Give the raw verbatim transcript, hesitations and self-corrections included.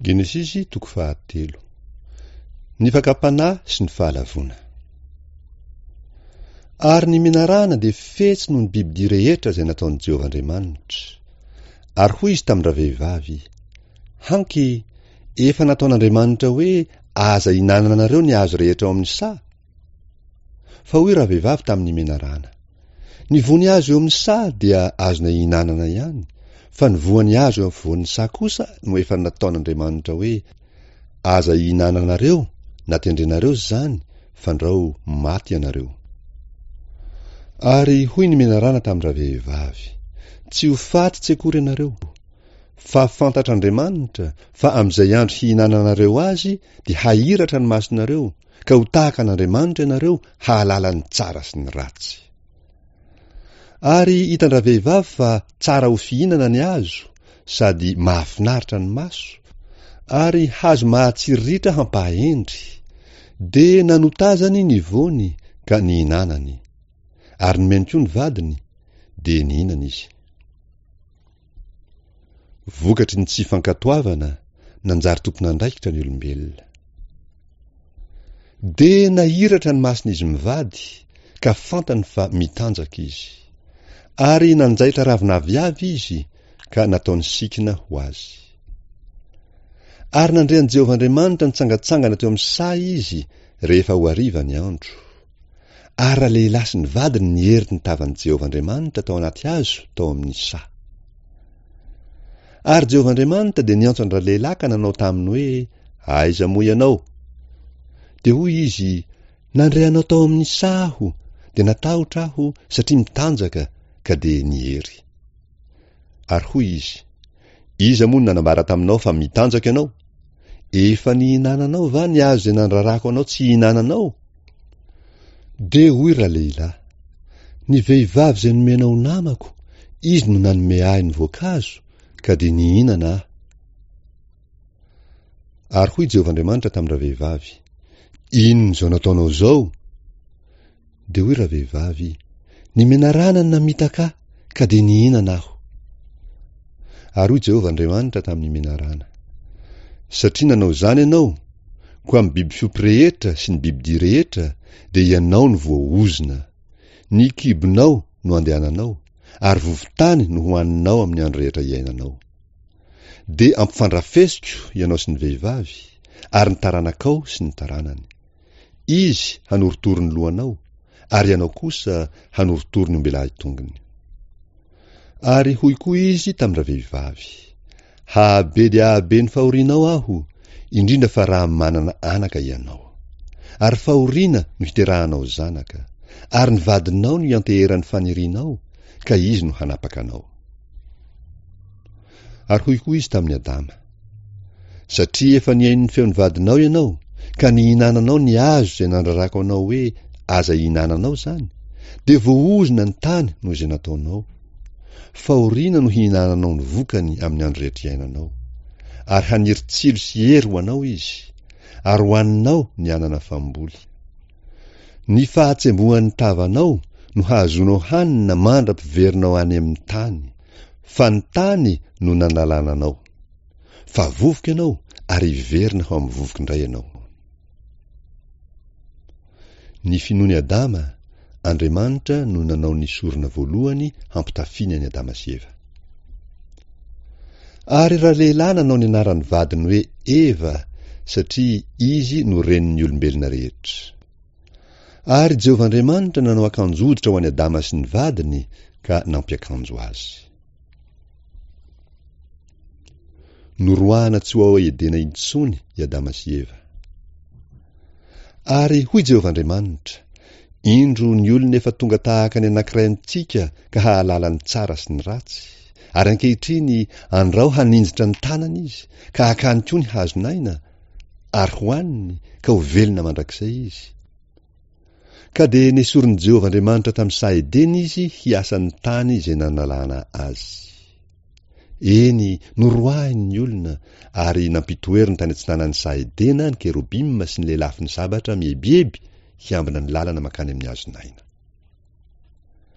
Genesisy toko fahatelo. Ny fakam-panahy sy ny fahalavoana. Ary ny menarana dia fetsy noho ny bibidia rehetra izay nataon'i Jehovah Andriamanitra. Ary hoy izy tamin-dravehivavy, Hanky, efa nataon'Andriamanitra hoe aza ihinananareo ny hazo rehetra ao amin'ny saha? Fa hoy ravehivavy tamin'ny menarana, Ny voany hazo eo amin'ny saha dia azonay ihinanana ihany, fa ny voany hazo eo afovoan'ny saha kosa no efa nataon'Andriamanitra hoe, Aza ihinananareo na tendrenareo izany, fandrao maty ianareo. Ary hoy ny menarana tamin-dravehivavy, Tsy ho faty tsy akory ianareo, fa fantatr'Andriamanitra fa amin'izay andro hihinananareo azy dia hahiratra ny masonareo, ka ho tahaka an'Andriamanitra ianareo hahalala ny tsara sy ny ratsy. Ary hitan-dravehivavy fa tsara ho fihinana ny hazo, sady mahafinaritra ny maso, ary hazo mahatsiriritra hampahendry, dia nanotazany ny voany ka nihinanany. Ary nomeny koa ny vadiny, dia nihinana izy. Vokatry ny tsy fankatoavana, nanjary tompon'andraikitra ny olombelona. Dia nahiratra ny mason'izy mivady, ka fantany fa mitanjaka izy. Ary nanjaitra ravin'aviavy izy, ka nataony sikina ho azy. Ary nandre an'i Jehovah Andriamanitra nitsangantsangana teo amin'ny saha izy, rehefa ho hariva ny andro. Ary ralehilahy sy ny vadiny niery ny tavan'i Jehovah Andriamanitra tao anaty hazo tao amin'ny saha. Ary Jehovah Andriamanitra dia niantso an-dralehilahy ka nanao taminy hoe, Aiza moa ianao? Dia hoy izy, Nandre anao tao amin'ny saha aho, dia natahotra aho, satria mitanjaka, ka dia niery. Ary hoy izy, Iza moa no nanambara taminao fa mitanjaka ianao? Efa nihinananao va ny hazo izay nandrarako anao tsy hihinananao? Dia hoy ralehilahy, Ny vehivavy izay nomenao ho namako, izy no nanome ahy ny voankazo, ka dia nihinana aho. Ary hoy Jehovah Andriamanitra tamin-dravehivavy, Inona izao nataonao izao? Dia hoy ravehivavy, Ny menarana no namitaka ahy, ka dia nihinana aho. Ary hoy Jehovah Andriamanitra tamin'ny menarana, Satria nanao izany ianao, koa amin'ny biby fiompy rehetra sy ny bibidia rehetra, dia ianao no voaozona. Ny kibonao no andehananao, ary vovon-tany no hohaninao amin'ny andro rehetra iainanao. Dia ampifandrafesiko ianao sy ny vehivavy, ary ny taranakao sy ny taranany. Izy hanorotoro ny lohanao, ary ianao kosa hanorotoro ny ombelahy tongony. Ary hoy koa izy tamin-dravehivavy, Hahabe dia hahabe ny fahorianao aho, indrindra fa raha manana anaka ianao. Ary fahoriana no hiterahanao zanaka, ary ny vadinao no ianteheran'ny fanirianao, ka izy no hanapaka anao. Ary hoy koa izy tamin'i Adama, Satria efa nihaino ny feon'ny vadinao ianao, ka nihinananao ny hazo izay nandrarako anao hoe aza ihinananao izany, dia voaozona ny tany noho izay nataonao. Fahoriana no hihinananao ny vokany amin'ny andro rehetra iainanao. Ary haniry tsilo sy hery ho anao izy, ary hohaninao ny anana famboly. Ny fahatsembohan'ny tavanao no hahazoanao hanina mandra-piverinao any amin'ny tany, fa ny tany no nanalana anao. Fa vovoka ianao ary hiverina ho amin'ny vovoka indray ianao. Ny finoan'i Adama, Andriamanitra no nanao ny sorona voalohany hampitafiany an'i Adama sy Eva. Ary ralehilahy nanao ny anaran'ny vadiny hoe Eva, satria izy no renin'ny olombelona rehetra. Ary Jehovah Andriamanitra nanao akanjo hoditra ho an'i Adama sy ny vadiny ka nampiakanjo azy. Noroahana tsy ho ao Edena intsony i Adama sy Eva. Ary hoy Jehovah Andriamanitra, Indro ny olona efa tonga tahaka ny anankiray amintsika ka hahalala ny tsara sy ny ratsy, ary ankehitriny andrao haninjitra ny tanany izy, ka hakany koa ny hazon'aina, ary hohaniny, ka ho velona mandrakizay izy. Ka dia nesorin'i Jehovah Andriamanitra tamin'ny saha Edena izy hiasa ny tany izay nanalana azy. Eny, noroahiny ny olona, ary nampitoeriny tany atsinanan'ny saha Edena ny kerobima sy ny lelafon'ny sabatra mieboebo hiambina ny lalana mankany amin'ny hazon'aina.